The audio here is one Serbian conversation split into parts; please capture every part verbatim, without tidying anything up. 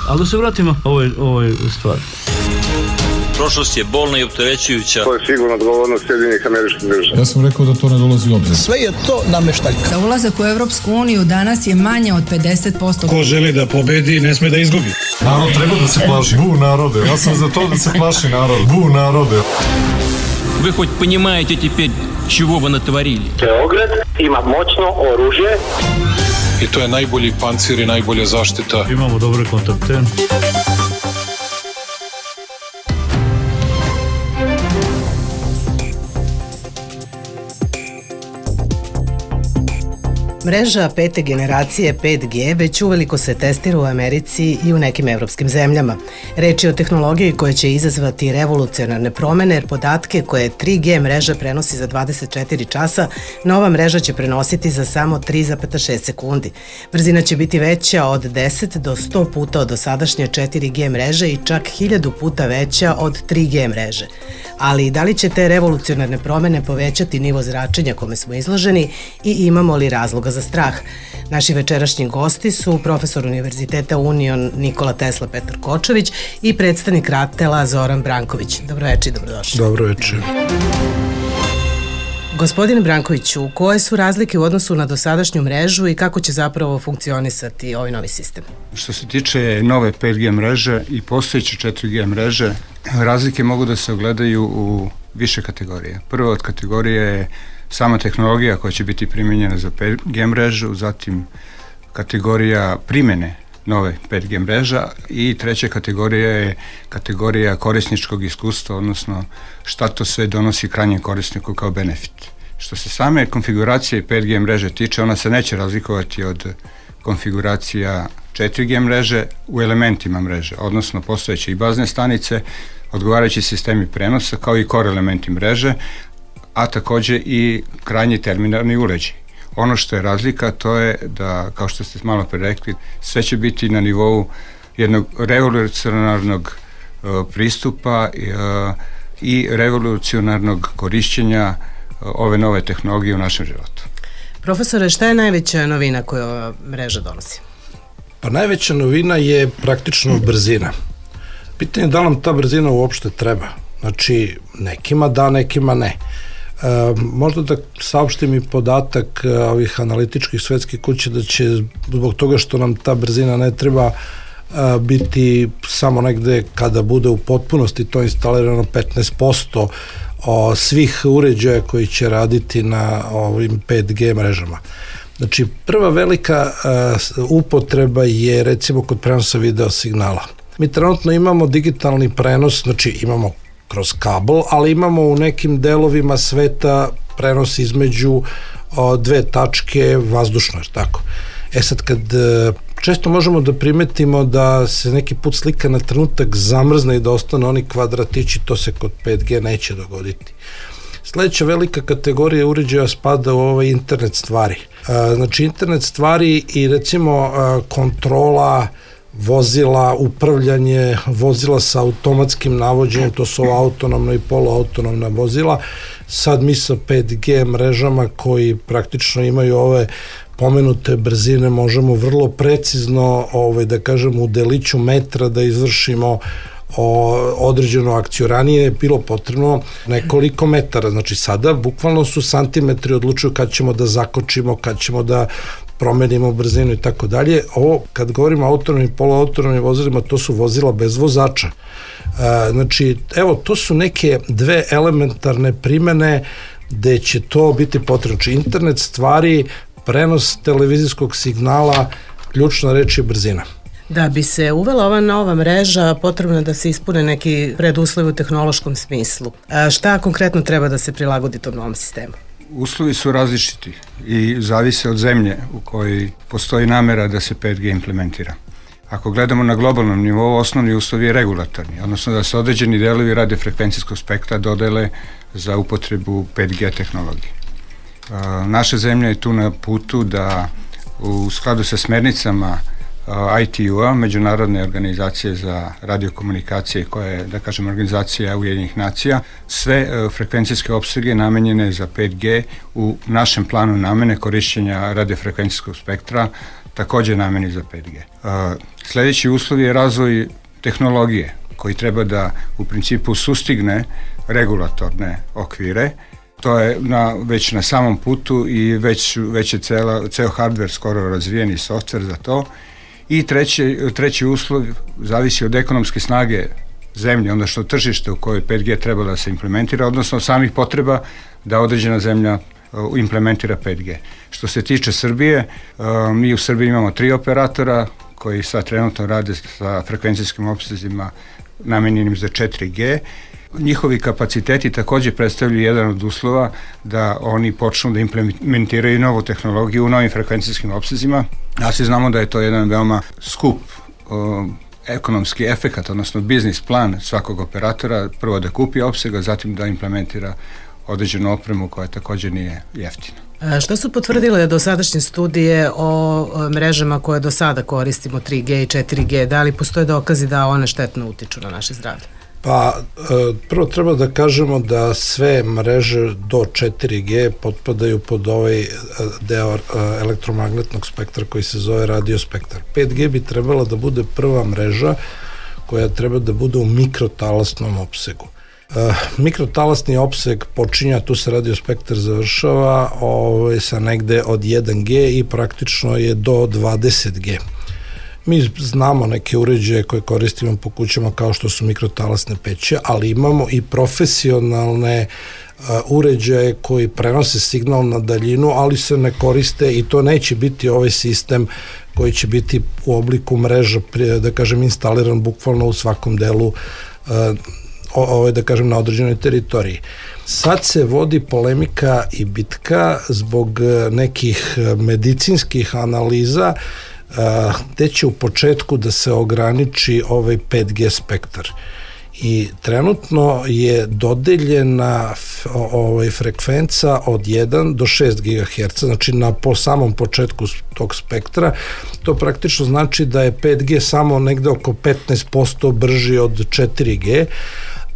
Ali da se vratimo ovoj, ovoj stvari. Prošlost je bolna i opterećujuća. To je sigurno odgovornost Sjedinjenih Američkih Država. Ja sam rekao da to ne dolazi u obzir. Sve je to nameštaljka. Za ulazak u Evropsku uniju danas je manje od pedeset posto. Ko želi da pobedi, ne sme da izgubi. Narod treba da se plaši. Bu narode. Ja sam za to da se plaši narod. Bu narode. Вы хоть понимаете теперь, чего вы натворили? Beograd ima moćno oružje. I to je najbolji pancir i najbolja zaštita. Imamo dobre kontakte. Mreža pete generacije pet G već uveliko se testira u Americi i u nekim evropskim zemljama. Reč je o tehnologiji koja će izazvati revolucionarne promene, jer podatke koje tri G mreža prenosi za dvadeset četiri časa, nova mreža će prenositi za samo tri zarez šest sekundi. Brzina će biti veća od deset do sto puta od dosadašnje četiri G mreže i čak hiljadu puta veća od tri G mreže. Ali da li će te revolucionarne promene povećati nivo zračenja kome smo izloženi i imamo li razloga za strah? Naši večerašnji gosti su profesor Univerziteta Union Nikola Tesla Petar Kočović i predstavnik RATEL-a Zoran Branković. Dobro večer i dobrodošli. Dobro večer. Gospodine Brankoviću, koje su razlike u odnosu na dosadašnju mrežu i kako će zapravo funkcionisati ovaj novi sistem? Što se tiče nove pet G mreže i postojeće četiri G mreže, razlike mogu da se ogledaju u više kategorije. Prva od kategorije je sama tehnologija koja će biti primjenjena za pet G mrežu, zatim kategorija primjene nove pet G mreža i treća kategorija je kategorija korisničkog iskustva, odnosno šta to sve donosi krajnjem korisniku kao benefit. Što se same konfiguracije pet G mreže tiče, ona se neće razlikovati od konfiguracija četiri G mreže u elementima mreže, odnosno postojeće i bazne stanice, odgovarajući sistemi prenosa kao i core elementi mreže, a takođe i krajnji terminalni uređaj. Ono što je razlika, to je da, kao što ste malo pre rekli, sve će biti na nivou jednog revolucionarnog uh, pristupa uh, i revolucionarnog korišćenja uh, ove nove tehnologije u našem životu. Profesore, šta je najveća novina koju ova mreža donosi? Pa najveća novina je praktično brzina. Pitanje je da nam ta brzina uopšte treba. Znači, nekima da, nekima ne. E, možda da saopštim i podatak e, ovih analitičkih svetskih kuća da će zbog toga što nam ta brzina ne treba e, biti samo negde kada bude u potpunosti to instalirano petnaest posto o, svih uređaja koji će raditi na ovim pet G mrežama. Znači, prva velika e, upotreba je recimo kod prenosa video signala. Mi trenutno imamo digitalni prenos, znači imamo kroz kabel, ali imamo u nekim delovima sveta prenos između o, dve tačke vazdušno, jer tako. E sad, kad e, često možemo da primetimo da se neki put slika na trenutak zamrzne i da ostane oni kvadratići, to se kod pet G neće dogoditi. Sledeća velika kategorija uređaja spada u ovaj internet stvari. E, znači, internet stvari i recimo e, kontrola vozila, upravljanje vozila sa automatskim navođenjem, to su autonomna i poluautonomna vozila. Sad mi sa pet G mrežama koji praktično imaju ove pomenute brzine možemo vrlo precizno, ovaj, da kažem, u deliću metra da izvršimo o, određenu akciju. Ranije je bilo potrebno nekoliko metara, znači sada bukvalno su santimetri odlučuju kad ćemo da zakočimo, kad ćemo da promenimo brzinu i tako dalje. Ovo, kad govorimo o autonomnim i poluautonomnim vozilima, to su vozila bez vozača. E, znači, evo, to su neke dve elementarne primene gde će to biti potrebno. Znači, internet stvari, prenos televizijskog signala, ključna reč je brzina. Da bi se uvela ova nova mreža, potrebno je da se ispune neki preduslovi u tehnološkom smislu. A šta konkretno treba da se prilagodi tom novom sistemu? Uslovi su različiti i zavise od zemlje u kojoj postoji namera da se pet G implementira. Ako gledamo na globalnom nivou, osnovni uslov je regulatorni, odnosno da se određeni delovi radiofrekvencijskog spektra dodele za upotrebu pet G tehnologije. Naša zemlja je tu na putu da u skladu sa smernicama I T U-a, Međunarodne organizacije za radiokomunikacije, koja je, da kažem, organizacija Ujedinjenih nacija, sve frekvencijske opsege namenjene za pet G u našem planu namene korišćenja radiofrekvencijskog spektra takođe nameni za pet G. Sledeći uslov je razvoj tehnologije koji treba da u principu sustigne regulatorne okvire. To je na, već na samom putu i već, već je cela, ceo hardware skoro razvijen i software za to. I treći, treći uslov zavisi od ekonomske snage zemlje, onda što tržište u kojoj pet G treba da se implementira, odnosno samih potreba da određena zemlja implementira pet G. Što se tiče Srbije, mi u Srbiji imamo tri operatora koji sad trenutno rade sa frekvencijskim opsezima namenjenim za četiri G. Njihovi kapaciteti takođe predstavljaju jedan od uslova da oni počnu da implementiraju novu tehnologiju u novim frekvencijskim opsezima. A svi znamo da je to jedan veoma skup o, ekonomski efekat, odnosno biznis plan svakog operatora, prvo da kupi opsega, zatim da implementira određenu opremu koja takođe nije jeftina. Šta su potvrdile dosadašnje studije o mrežama koje do sada koristimo, tri G i četiri G? Da li postoje dokazi da one štetno utiču na naše zdravlje? Pa, prvo treba da kažemo da sve mreže do četiri G potpadaju pod ovaj deo elektromagnetnog spektra koji se zove radiospektar. pet G bi trebala da bude prva mreža koja treba da bude u mikrotalasnom opsegu. Uh, mikrotalasni opseg počinja, tu se radiospektar završava ovaj, sa negde od jedan G i praktično je do dvadeset G. Mi znamo neke uređaje koje koristimo po kućama kao što su mikrotalasne peće, ali imamo i profesionalne uh, uređaje koji prenose signal na daljinu, ali se ne koriste i to neće biti ovaj sistem koji će biti u obliku mreža, da kažem, instaliran bukvalno u svakom delu uh, ovo je, da kažem, na određenoj teritoriji. Sad se vodi polemika i bitka zbog nekih medicinskih analiza gde će u početku da se ograniči ovaj pet G spektar. I trenutno je dodeljena ovaj, frekvenca od jedan do šest gigaherca, znači na po samom početku tog spektra. To praktično znači da je pet G samo negde oko petnaest posto brži od četiri G,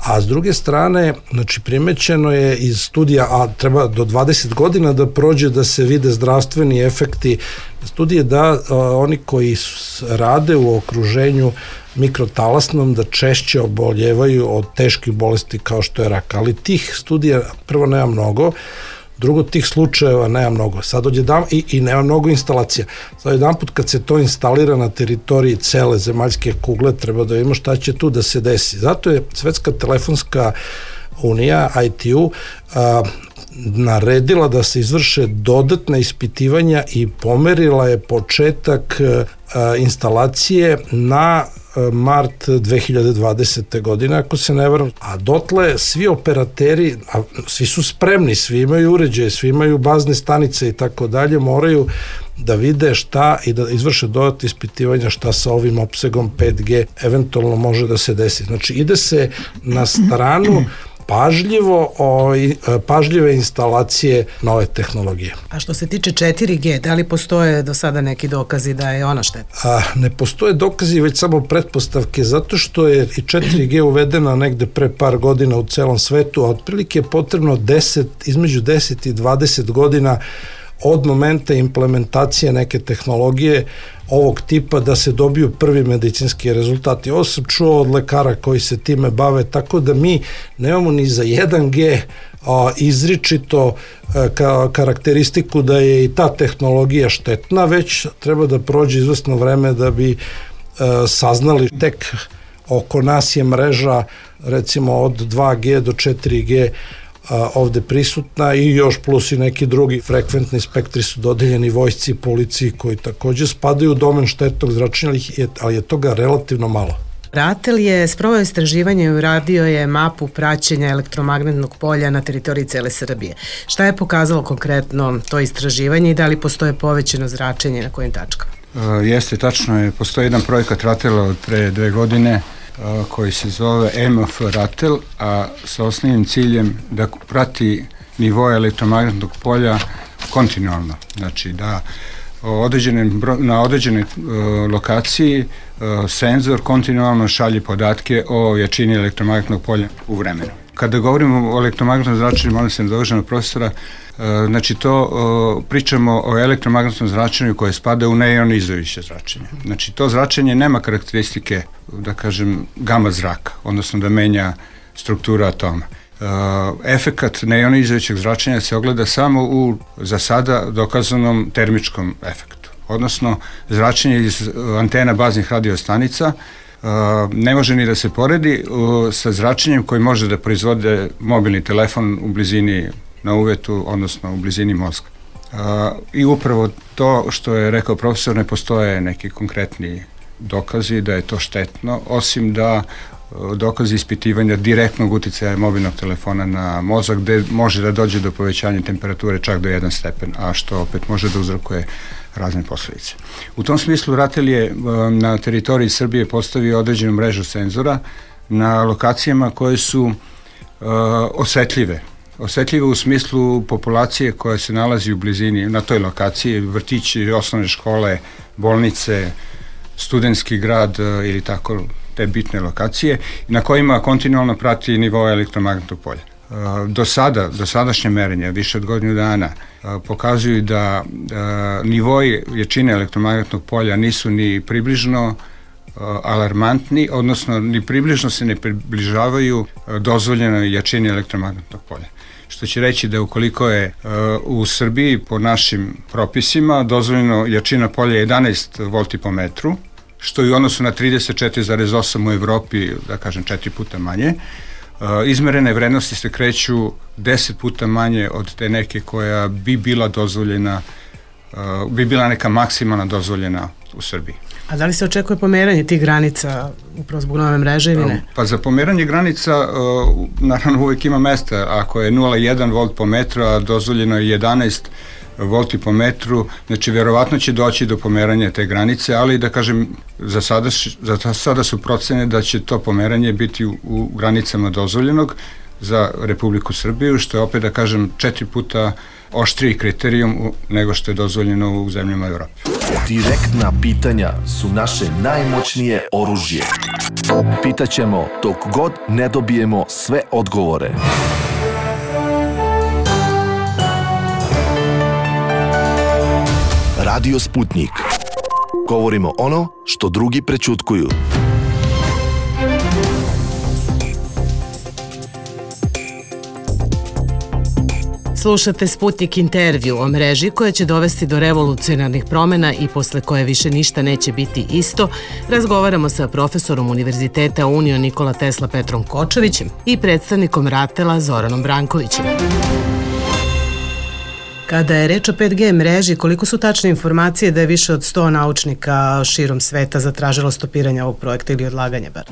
a s druge strane, znači primećeno je iz studija, a treba do dvadeset godina da prođe da se vide zdravstveni efekti studije, da a, oni koji rade u okruženju mikrotalasnom da češće oboljevaju od teških bolesti kao što je rak, ali tih studija prvo nema mnogo, drugo tih slučajeva nema mnogo. Sad odjedam i, i nema mnogo instalacija. Sad jedan put kad se to instalira na teritoriji cele zemaljske kugle, treba da vidimo šta će tu da se desi. Zato je Svetska telefonska unija, I T U, a, naredila da se izvrše dodatna ispitivanja i pomerila je početak a, instalacije na mart dve hiljade dvadesete. godine, ako se ne varam, a dotle svi operateri, a svi su spremni, svi imaju uređaje, svi imaju bazne stanice i tako dalje, moraju da vide šta i da izvrše dodatne ispitivanja šta sa ovim opsegom pet G eventualno može da se desi. Znači ide se na stranu pažljivo, o, pažljive instalacije nove tehnologije. A što se tiče četiri G, da li postoje do sada neki dokazi da je ona štetna? A, ne postoje dokazi, već samo pretpostavke, zato što je i četiri G uvedena negde pre par godina u celom svetu, a otprilike je potrebno deset, između deset i dvadeset godina od momenta implementacije neke tehnologije ovog tipa da se dobiju prvi medicinski rezultati. Ovo sam čuo od lekara koji se time bave, tako da mi nemamo ni za jedan G a, izričito a, ka, karakteristiku da je i ta tehnologija štetna, već treba da prođe izvesno vreme da bi a, saznali. Tek oko nas je mreža recimo od dva G do četiri G ovde prisutna i još plus i neki drugi frekventni spektri su dodeljeni vojsci i policiji koji takođe spadaju u domen štetnog zračenja, ali je toga relativno malo. Ratel je sproveo istraživanje i uradio je mapu praćenja elektromagnetnog polja na teritoriji cele Srbije. Šta je pokazalo konkretno to istraživanje i da li postoje povećano zračenje na kojim tačkama? Uh, jeste, tačno je. Postoji jedan projekat Ratela od pre dve godine koji se zove M F Ratel, a sa osnovnim ciljem da prati nivoje elektromagnetnog polja kontinualno. Znači da određenim, na određenoj uh, lokaciji uh, senzor kontinualno šalje podatke o jačini elektromagnetnog polja u vremenu. Kada govorimo o elektromagnetnom zračenju, molim se nadovežem profesora, znači to pričamo o elektromagnetnom zračenju koje spada u neionizujuće zračenje. Znači to zračenje nema karakteristike, da kažem, gama zraka, odnosno da menja strukturu atoma. Efekat neionizujućeg zračenja se ogleda samo u, za sada, dokazanom termičkom efektu, odnosno zračenje iz antena baznih radiostanica ne može ni da se poredi sa zračenjem koji može da proizvode mobilni telefon u blizini na uvetu, odnosno u blizini mozga. I upravo to što je rekao profesor, ne postoje neki konkretni dokazi da je to štetno, osim da dokazi ispitivanja direktnog uticaja mobilnog telefona na mozak, gde može da dođe do povećanja temperature čak do jedan stepen, a što opet može da uzrokuje razne posledice. U tom smislu RATEL je na teritoriji Srbije postavio određenu mrežu senzora na lokacijama koje su uh, osetljive. Osetljive u smislu populacije koja se nalazi u blizini na toj lokaciji, vrtići, osnovne škole, bolnice, studentski grad uh, ili tako te bitne lokacije, na kojima kontinualno prati nivo elektromagnetnog polja. Do sada, do sadašnje merenja, više od godinu dana, pokazuju da nivoi jačine elektromagnetnog polja nisu ni približno alarmantni, odnosno ni približno se ne približavaju dozvoljenoj jačini elektromagnetnog polja. Što će reći da ukoliko je u Srbiji po našim propisima dozvoljeno jačina polja jedanaest volti po metru, što je u odnosu na trideset četiri zarez osam u Evropi, da kažem, četiri puta manje. Izmerene vrednosti se kreću deset puta manje od te neke koja bi bila dozvoljena, bi bila neka maksimalna dozvoljena u Srbiji. A da li se očekuje pomeranje tih granica upravo zbog nove mreže ili ne? Pa za pomeranje granica naravno uvek ima mesta. Ako je nula zarez jedan volt po metru, a dozvoljeno je jedanaest volti po metru, znači verovatno će doći do pomeranja te granice, ali da kažem, za sada, za sada su procene da će to pomeranje biti u, u granicama dozvoljenog za Republiku Srbiju, što je opet, da kažem, četiri puta oštriji kriterijum nego što je dozvoljeno u zemljama Evrope. Direktna pitanja su naše najmoćnije oružje. Pitaćemo dok god ne dobijemo sve odgovore. Radio Sputnik. Govorimo ono što drugi prećutkuju. Slušate Sputnik intervju o mreži koja će dovesti do revolucionarnih promena i posle koje više ništa neće biti isto. Razgovaramo sa profesorom Univerziteta Unio Nikola Tesla Petrom Kočevićem i predstavnikom RATEL-a Zoranom Brankovićem. Kada je reč o pet G mreži, koliko su tačne informacije da je više od sto naučnika širom sveta zatražilo stopiranje ovog projekta ili odlaganje bar?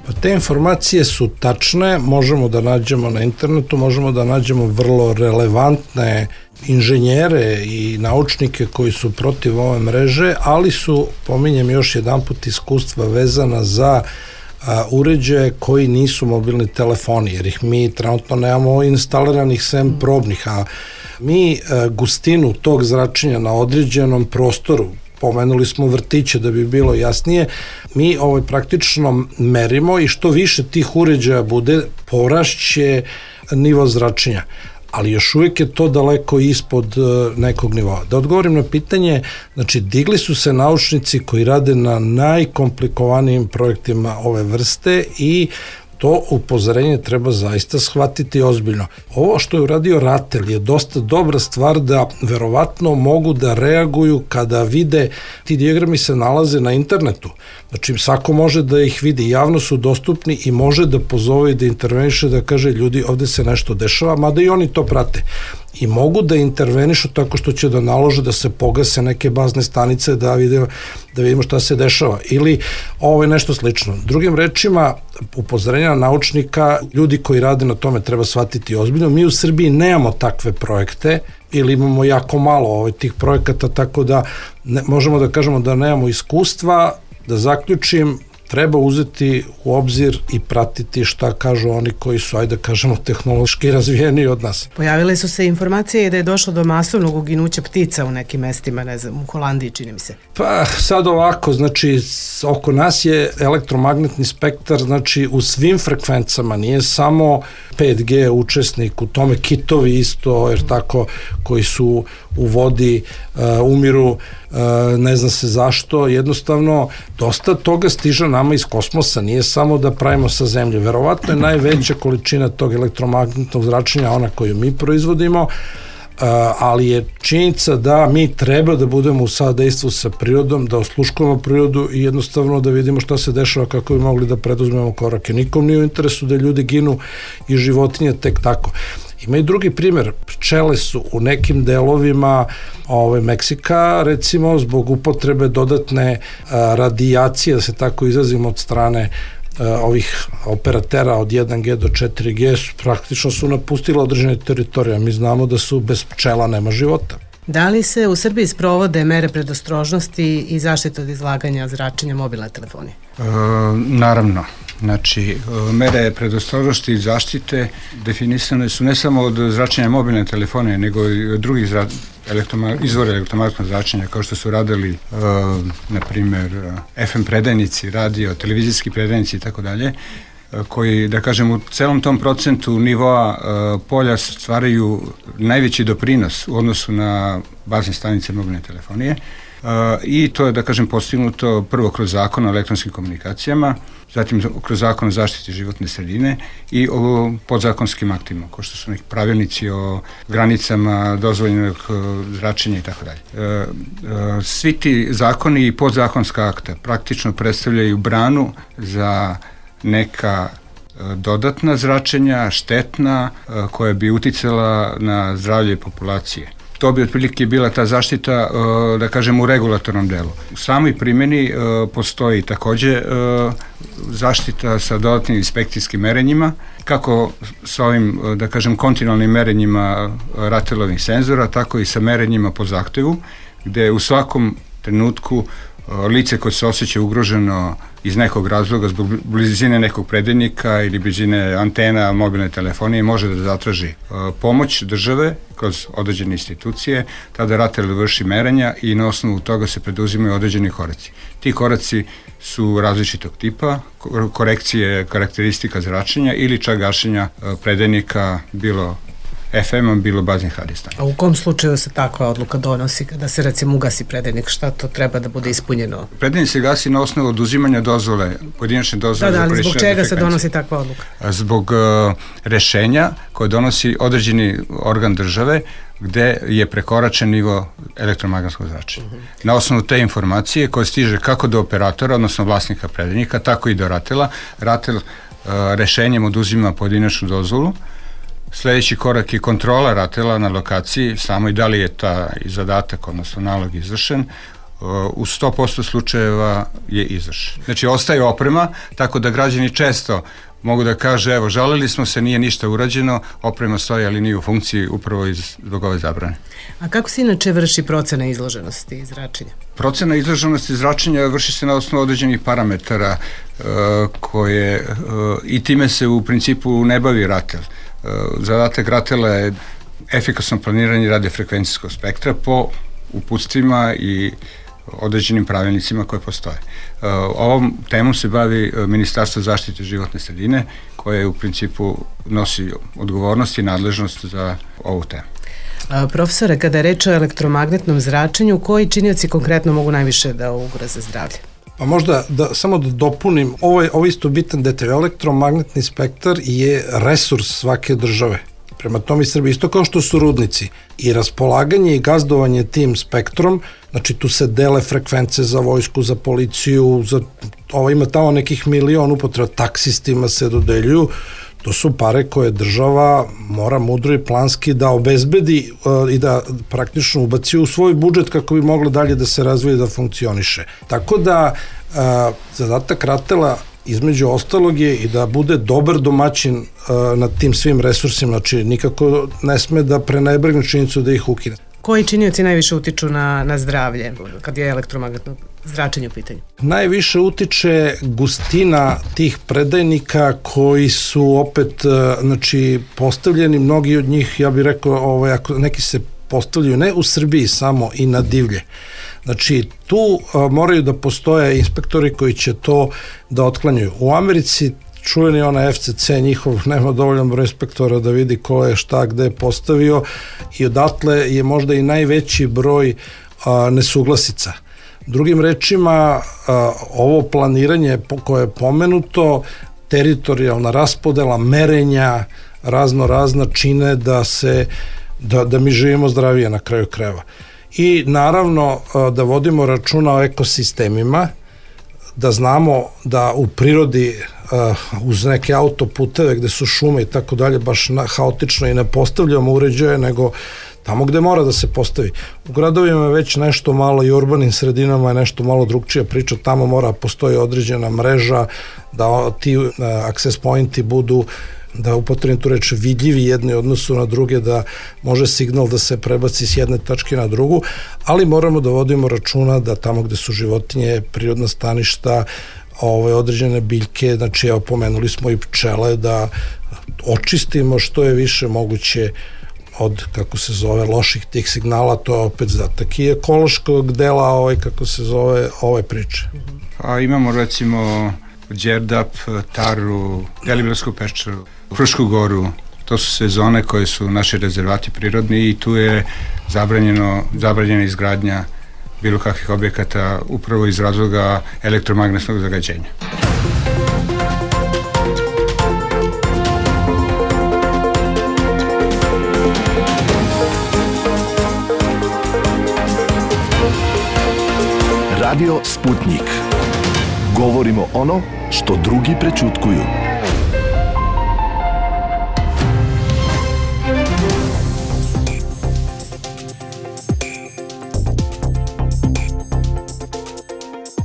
Pa te informacije su tačne, možemo da nađemo na internetu, možemo da nađemo vrlo relevantne inženjere i naučnike koji su protiv ove mreže, ali su, pominjem još jedan put, iskustva vezana za a, uređaje koji nisu mobilni telefoni, jer ih mi trenutno nemamo instaliranih sem probnih, a mi a, gustinu tog zračenja na određenom prostoru, pomenuli smo vrtiće da bi bilo jasnije, mi ovaj praktično merimo i što više tih uređaja bude, porašće nivo zračenja. Ali još uvijek je to daleko ispod nekog nivoa. Da odgovorim na pitanje, znači digli su se naučnici koji rade na najkomplikovanijim projektima ove vrste i to upozorenje treba zaista shvatiti ozbiljno. Ovo što je uradio RATEL je dosta dobra stvar da verovatno mogu da reaguju kada vide, ti dijagrami se nalaze na internetu, znači svako može da ih vidi, javno su dostupni i može da pozove i da interveniše, da kaže ljudi ovde se nešto dešava, mada i oni to prate. I mogu da intervenišu tako što će da nalože da se pogase neke bazne stanice da vidimo, da vidimo šta se dešava ili ovo je nešto slično. Drugim rečima, upozorenja naučnika, ljudi koji rade na tome treba shvatiti ozbiljno. Mi u Srbiji nemamo takve projekte ili imamo jako malo ovaj, tih projekata, tako da ne, možemo da kažemo da nemamo iskustva. Da zaključim, treba uzeti u obzir i pratiti šta kažu oni koji su, ajde kažemo, tehnološki razvijeni od nas. Pojavile su se informacije da je došlo do masovnog uginuća ptica u nekim mestima, ne znam, u Holandiji čini mi se. Pa sad ovako, znači oko nas je elektromagnetni spektar, znači u svim frekvencama, nije samo pet G učesnik, u tome kitovi isto, jer tako, koji su u vodi, uh, umiru, uh, ne zna se zašto, jednostavno dosta toga stiže nama iz kosmosa, nije samo da pravimo sa zemlje. Verovatno je najveća količina tog elektromagnetnog zračenja ona koju mi proizvodimo, Uh, ali je činjenica da mi treba da budemo u sadejstvu sa prirodom, da osluškujemo prirodu i jednostavno da vidimo šta se dešava, kako bi mogli da preduzmemo korake. Nikom nije u interesu da ljudi ginu i životinje tek tako. Ima i drugi primjer, pčele su u nekim delovima ove, Meksika, recimo zbog upotrebe dodatne uh, radijacije, da se tako izrazimo, od strane ovih operatera od jedan G do četiri G su, praktično su napustila određene teritorije. Mi znamo da su bez pčela nema života. Da li se u Srbiji sprovode mere predostrožnosti i zaštite od izlaganja zračenja mobilne telefonije? E, naravno. Znači, mere predostrožnosti i zaštite definisane su ne samo od zračenja mobilne telefonije, nego i od drugih zra... elektroma... izvora elektromagnetnog zračenja, kao što su radili, e, na primjer, F M predajnici, radio, televizijski predajnici i tako dalje, koji, da kažem, u celom tom procentu nivoa e, polja stvaraju najveći doprinos u odnosu na bazne stanice mobilne telefonije. Uh, i to je, da kažem, postignuto prvo kroz zakon o elektronskim komunikacijama, zatim kroz zakon o zaštiti životne sredine i o podzakonskim aktima, kao što su neki pravilnici o granicama dozvoljenog zračenja i tako dalje. Svi ti zakoni i podzakonska akta praktično predstavljaju branu za neka dodatna zračenja, štetna, koja bi uticala na zdravlje populacije. To bi otprilike bila ta zaštita, da kažem, u regulatornom delu. U samoj primjeni postoji takođe zaštita sa dodatnim inspekcijskim merenjima, kako sa ovim, da kažem, kontinualnim merenjima ratelovih senzora, tako i sa merenjima po zahtevu, gde u svakom trenutku lice koje se osjeća ugroženo iz nekog razloga, zbog blizine nekog predajnika ili blizine antena mobilne telefonije, može da zatraži pomoć države kroz određene institucije, tada RATEL vrši merenja i na osnovu toga se preduzimaju određeni koraci. Ti koraci su različitog tipa, korekcije karakteristika zračenja ili čak gašenja predajnika, bilo F M-a, bilo baznih radijestanica. A u kom slučaju se takva odluka donosi kada se, recimo, ugasi predajnik? Šta to treba da bude ispunjeno? Predajnik se gasi na osnovu oduzimanja dozvole, pojedinačne dozvole. Da, da, ali zbog čega se donosi takva odluka? Zbog uh, rešenja koje donosi određeni organ države gde je prekoračen nivo elektromagnetskog zračenja. Uh-huh. Na osnovu te informacije koje stiže kako do operatora, odnosno vlasnika predajnika, tako i do RATEL-a, RATEL uh, rešenjem oduzima pojedinačnu dozvolu. Sledeći korak je kontrola RATEL-a na lokaciji, samo i da li je ta zadatak, odnosno nalog izvršen, u sto posto slučajeva je izvršen. Znači, ostaje oprema, tako da građani često mogu da kaže, evo, žalili smo se, nije ništa urađeno, oprema stoji, ali nije u funkciji upravo iz, zbog ove zabrane. A kako se inače vrši procena izloženosti i zračenja? Procena izloženosti i zračenja vrši se na osnovu određenih parametara uh, koje, uh, i time se u principu ne bavi RATEL. Zadatak RATEL-a je efikasno planiranje radiofrekvencijskog spektra po uputstvima i određenim pravilnicima koje postoje. Ovom temom se bavi Ministarstvo zaštite životne sredine, koje u principu nosi odgovornost i nadležnost za ovu temu. A, profesore, kada je reč o elektromagnetnom zračenju, koji činioci konkretno mogu najviše da ugroze zdravlje? Pa možda da, samo da dopunim, ovo je, ovo je isto bitan detalj, elektromagnetni spektar je resurs svake države. Prema tome i Srbije, isto kao što su rudnici. I raspolaganje i gazdovanje tim spektrom, znači tu se dele frekvence za vojsku, za policiju, za, ovo ima tamo nekih milion upotreba, taksistima se dodeljuju, to su pare koje država mora mudro i planski da obezbedi uh, i da praktično ubaci u svoj budžet kako bi moglo dalje da se razvije i da funkcioniše. Tako da uh, zadatak RATEL-a između ostalog je i da bude dobar domaćin uh, nad tim svim resursima, znači nikako ne sme da prenebregne činjenicu da ih ukine. Koji činioci najviše utiču na, na zdravlje kad je elektromagnetno zračenje u pitanju? Najviše utiče gustina tih predajnika koji su opet, znači, postavljeni, mnogi od njih, ja bih rekao, ovaj, ako neki se postavljaju ne u Srbiji samo i na divlje. Znači, tu a, moraju da postoje inspektori koji će to da otklanjaju. U Americi čuveni onaj F C C njihov nema dovoljan broj inspektora da vidi ko je šta gde postavio i odatle je možda i najveći broj a, nesuglasica. Drugim rečima, a, ovo planiranje koje je pomenuto, teritorijalna raspodela, merenja, razno razna čine da se da, da mi živimo zdravije na kraju krajeva. I naravno da vodimo računa o ekosistemima, da znamo da u prirodi uz neke autoputeve gde su šume i tako dalje baš haotično i ne postavljamo uređaje, nego tamo gde mora da se postavi. U gradovima je već nešto malo i urbanim sredinama je nešto malo drugčija priča, tamo mora postoji određena mreža, da ti access pointi budu, da upotrebim tu reč, vidljivi jedni odnosu na druge, da može signal da se prebaci s jedne tačke na drugu, ali moramo da vodimo računa da tamo gde su životinje, prirodna staništa, ove određene biljke, znači evo pomenuli smo i pčele, da očistimo što je više moguće od, kako se zove, loših tih signala, to je opet zadatak i ekološkog dela ovaj, kako se zove, ove priče. A imamo recimo Đerdap, Taru, Deliblatsku peščaru, Frušku goru, to su sve zone koje su naši rezervati prirodni i tu je zabranjeno, zabranjena izgradnja bilo kakvih objekata upravo iz razloga elektromagnetnog zagađenja. Radio Sputnik. Govorimo ono što drugi prećutkuju.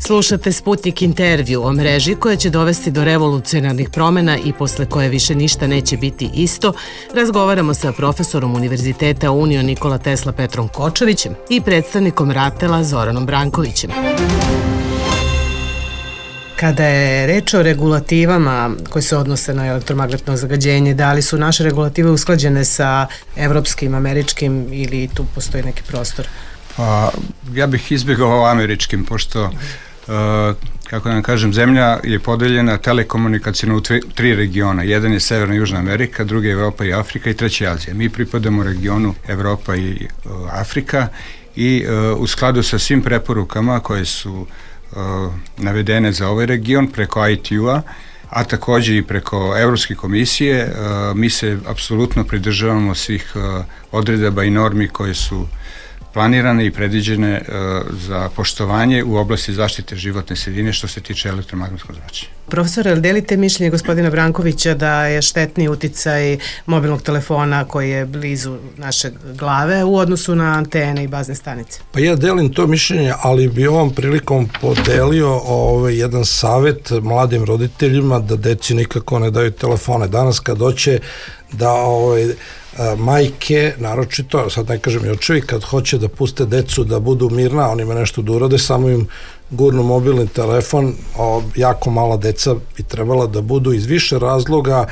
Slušate Sputnik intervju o mreži koja će dovesti do revolucionarnih promena i posle koje više ništa neće biti isto. Razgovaramo sa profesorom Univerziteta Union Nikola Tesla Petrom Kočovićem i predstavnikom RATEL-a Zoranom Brankovićem. Kada je reč o regulativama koje se odnose na elektromagnetno zagađenje, da li su naše regulative usklađene sa evropskim, američkim ili tu postoji neki prostor? Pa, ja bih izbjegao američkim, pošto Uh, kako da vam kažem, zemlja je podeljena telekomunikacijno u tri, tri regiona. Jedan je Severna i Južna Amerika, drugi je Evropa i Afrika i treći je Azija. Mi pripadamo regionu Evropa i uh, Afrika i uh, u skladu sa svim preporukama koje su uh, navedene za ovaj region preko I T U-a, a takođe i preko Evropske komisije, uh, mi se apsolutno pridržavamo svih uh, odredaba i normi koje su planirane i predviđene uh, za poštovanje u oblasti zaštite životne sredine što se tiče elektromagnetskog zračenja. Profesore, ali delite mišljenje gospodina Brankovića da je štetni uticaj mobilnog telefona koji je blizu naše glave u odnosu na antene i bazne stanice? Pa ja delim to mišljenje, ali bi ovom prilikom podelio ovaj, jedan savet mladim roditeljima da deci nikako ne daju telefone. Danas kad hoće da ovaj, majke, naročito, sad ne kažem i očevi, kad hoće da puste decu da budu mirna, oni ima nešto da urade, samo im gurnu mobilni telefon, o, jako mala deca bi trebala da budu iz više razloga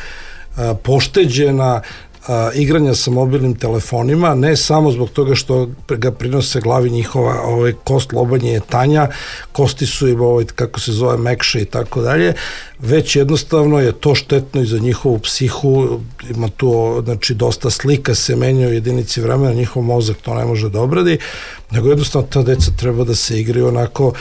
a, pošteđena a, igranja sa mobilnim telefonima, ne samo zbog toga što ga prinose glavi njihova ovaj, kost lobanje je tanja, kosti su im ovaj, kako se zove mekše i tako dalje, već jednostavno je to štetno i za njihovu psihu, ima tu znači dosta slika se menja u jedinici vremena, njihov mozak to ne može da obradi, nego jednostavno ta deca treba da se igraju onako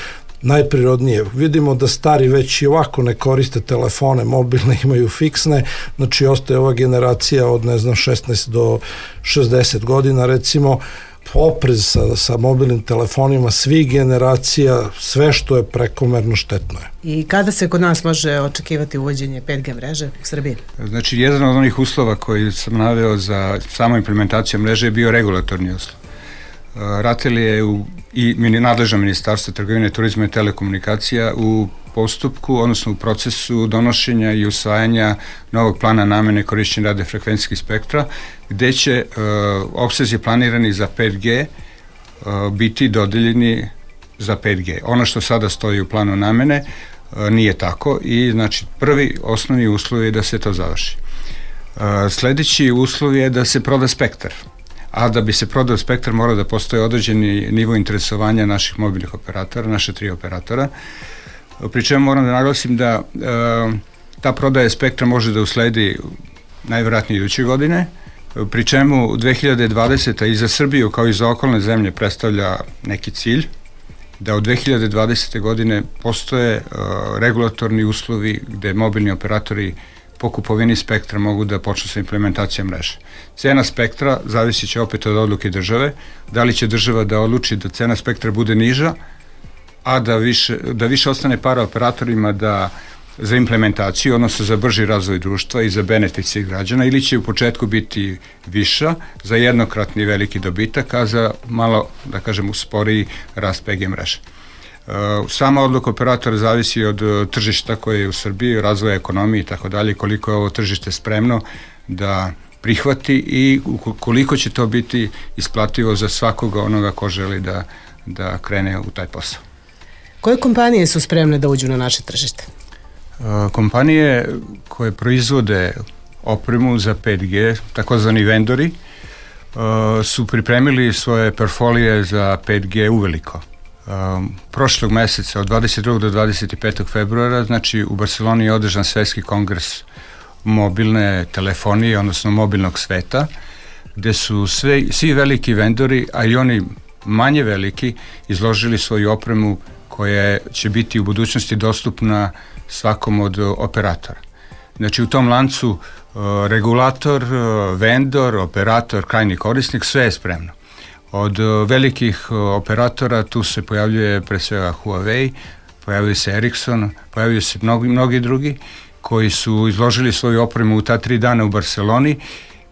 najprirodnije. Vidimo da stari već i ovako ne koriste telefone, mobilne imaju fiksne, znači ostaje ova generacija od ne znam šesnaest do šezdeset godina recimo, oprez sa, sa mobilnim telefonima svih generacija, sve što je prekomerno štetno je. I kada se kod nas može očekivati uvođenje pet G mreže u Srbiji? Znači, jedan od onih uslova koji sam naveo za samu implementaciju mreže je bio regulatorni uslov. RATEL je u, i nadležno ministarstvo trgovine, turizma i telekomunikacija u postupku, odnosno u procesu donošenja i usvajanja novog plana namene korišćenja radiofrekvencijskih spektra, gde će uh, opsezi planirani za pet G uh, biti dodeljeni za pet G. Ono što sada stoji u planu namene uh, nije tako i znači prvi osnovni uslov je da se to završi. Uh, sledeći uslov je da se proda spektar. a da bi se prodao spektar mora da postoje određeni nivo interesovanja naših mobilnih operatora, naše tri operatora. Pri čemu moram da naglasim da e, ta prodaja spektra može da usledi najvjerojatnije iduće godine, pri čemu dve hiljade dvadeseta i za Srbiju kao i za okolne zemlje predstavlja neki cilj, da od dve hiljade dvadesete godine postoje uh, regulatorni uslovi gde mobilni operatori po kupovini spektra mogu da počnu sa implementacijom mreže. Cena spektra zavisit će opet od odluke države, da li će država da odluči da cena spektra bude niža, a da više, da više ostane para operatorima da za implementaciju, odnosno za brži razvoj društva i za benefit svih građana, ili će u početku biti viša za jednokratni veliki dobitak, a za malo, da kažem, usporiji rast P G mreže. Sama odluka operatora zavisi od tržišta koje je u Srbiji, razvoja ekonomije i tako dalje, koliko je ovo tržište spremno da prihvati i koliko će to biti isplativo za svakoga onoga ko želi da, da krene u taj posao. Koje kompanije su spremne da uđu na naše tržište? Kompanije koje proizvode opremu za pet G, takozvani vendori, su pripremili svoje portfolije za pet G uveliko. Prošlog meseca, od dvadeset drugog do dvadeset petog februara, znači u Barceloni je održan svetski kongres mobilne telefonije, odnosno mobilnog sveta, gde su sve, svi veliki vendori, a i oni manje veliki, izložili svoju opremu koja će biti u budućnosti dostupna svakom od operatora. Znači u tom lancu uh, regulator, uh, vendor, operator, krajnji korisnik, sve je spremno. Od uh, velikih uh, operatora tu se pojavljuje pre svega Huawei, pojavljuje se Ericsson, pojavljuje se mnogi, mnogi drugi koji su izložili svoju opremu u ta tri dana u Barceloni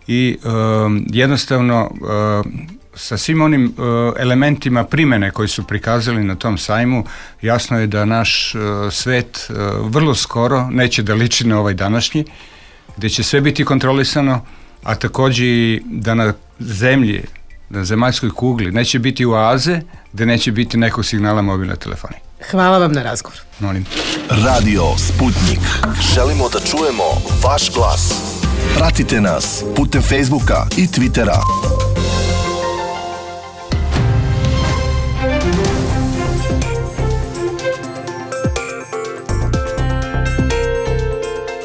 i um, jednostavno uh, sa svim onim uh, elementima primene koji su prikazali na tom sajmu, jasno je da naš uh, svet uh, vrlo skoro neće da liči na ovaj današnji, gde će sve biti kontrolisano, a takođe i da na zemlji, na zemaljskoj kugli, neće biti oaze, gde neće biti nekog signala mobilne telefonije. Hvala vam na razgovor. Molim. Radio Sputnik. Želimo da čujemo vaš glas. Pratite nas putem Facebooka i Twittera.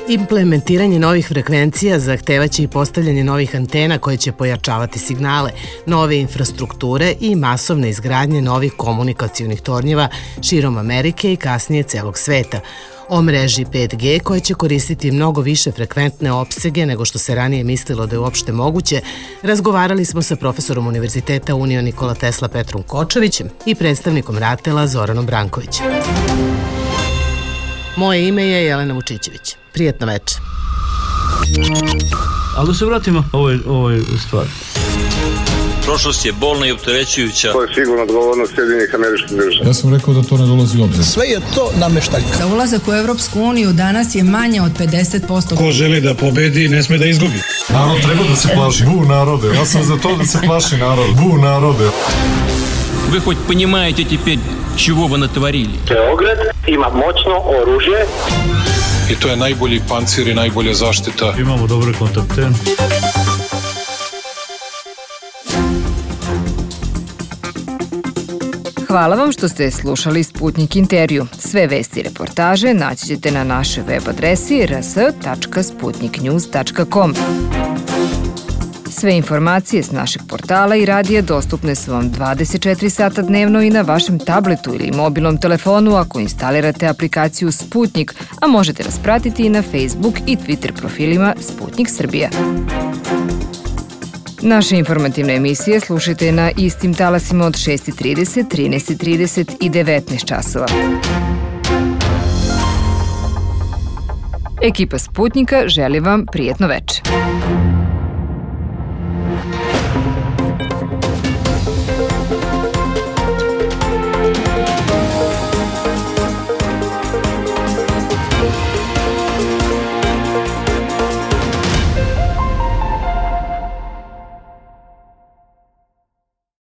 Implementiranje novih frekvencija zahtevaće i postavljanje novih antena koje će pojačavati signale, nove infrastrukture i masovne izgradnje novih komunikacionih tornjeva širom Amerike i kasnije celog sveta. O mreži pet G koja će koristiti mnogo više frekventne opsege nego što se ranije mislilo da je uopšte moguće, razgovarali smo sa profesorom Univerziteta Union Nikola Tesla Petrom Kočovićem i predstavnikom RATEL-a Zoranom Brankovićem. Moje ime je Jelena Vučićević. Prijetno večer. Ali da se vratimo ovoj, ovoj stvari. Prošlost je bolna i opterećujuća. To je sigurno odgovornost Sjedinjenih Američkih Država. Ja sam rekao da to ne dolazi u obzir. Sve je to nameštaljka. Za ulazak u Evropsku uniju danas je manje od pedeset posto. Ko želi da pobedi, ne sme da izgubi. Narod treba da se plaši. Bu narode. Ja sam za to da se plaši narod. Bu narode. Вы хоть понимаете теперь, чего вы натворили? Beograd ima moćno oružje. I to je najbolji pancir i najbolja zaštita. Imamo dobre kontakte. Hvala vam što ste slušali Sputnik intervju. Sve vesti i reportaže naći ćete na našoj web adresi r s tačka sputnik news tačka com. Sve informacije s našeg portala i radija dostupne su vam dvadeset četiri sata dnevno i na vašem tabletu ili mobilnom telefonu ako instalirate aplikaciju Sputnik, a možete nas pratiti i na Facebook i Twitter profilima Sputnik Srbija. Naše informativne emisije slušajte na istim talasima od šest trideset, trinaest trideset i devetnaest časova. Ekipa Sputnika želi vam prijetno večer.